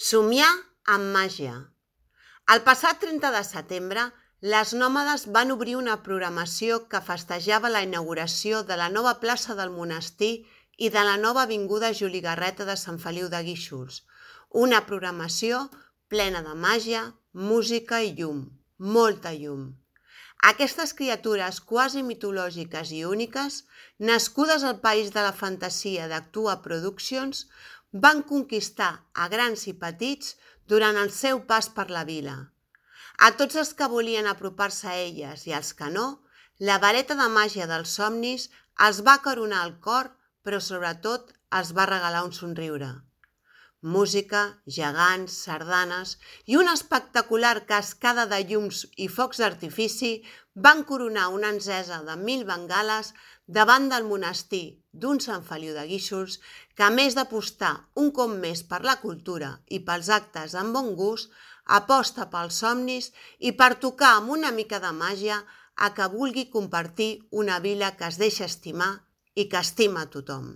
Somiar amb màgia. El passat 30 de setembre, les Nòmades van obrir una programació que festejava la inauguració de la nova plaça del Monestir i de la nova avinguda Juli Garreta de Sant Feliu de Guíxols. Una programació plena de màgia, música i llum, molta llum. Aquestes criatures quasi mitològiques i úniques, nascudes al país de la fantasia d'Actua Productions, van conquistar a grans i petits durant el seu pas per la vila. A tots els que volien apropar-se a elles i als que no, la vareta de màgia dels somnis els va acaronar el cor, però sobretot els va regalar un somriure. Música, gegants, sardanes i una espectacular cascada de llums i focs d'artifici van coronar una encesa de 1000 bengales davant del monestir d'un Sant Feliu de Guíxols que, a més d'apostar un cop més per la cultura i pels actes amb bon gust, aposta pels somnis i per tocar amb una mica de màgia a que vulgui compartir una vila que es deixa estimar i que estima a tothom.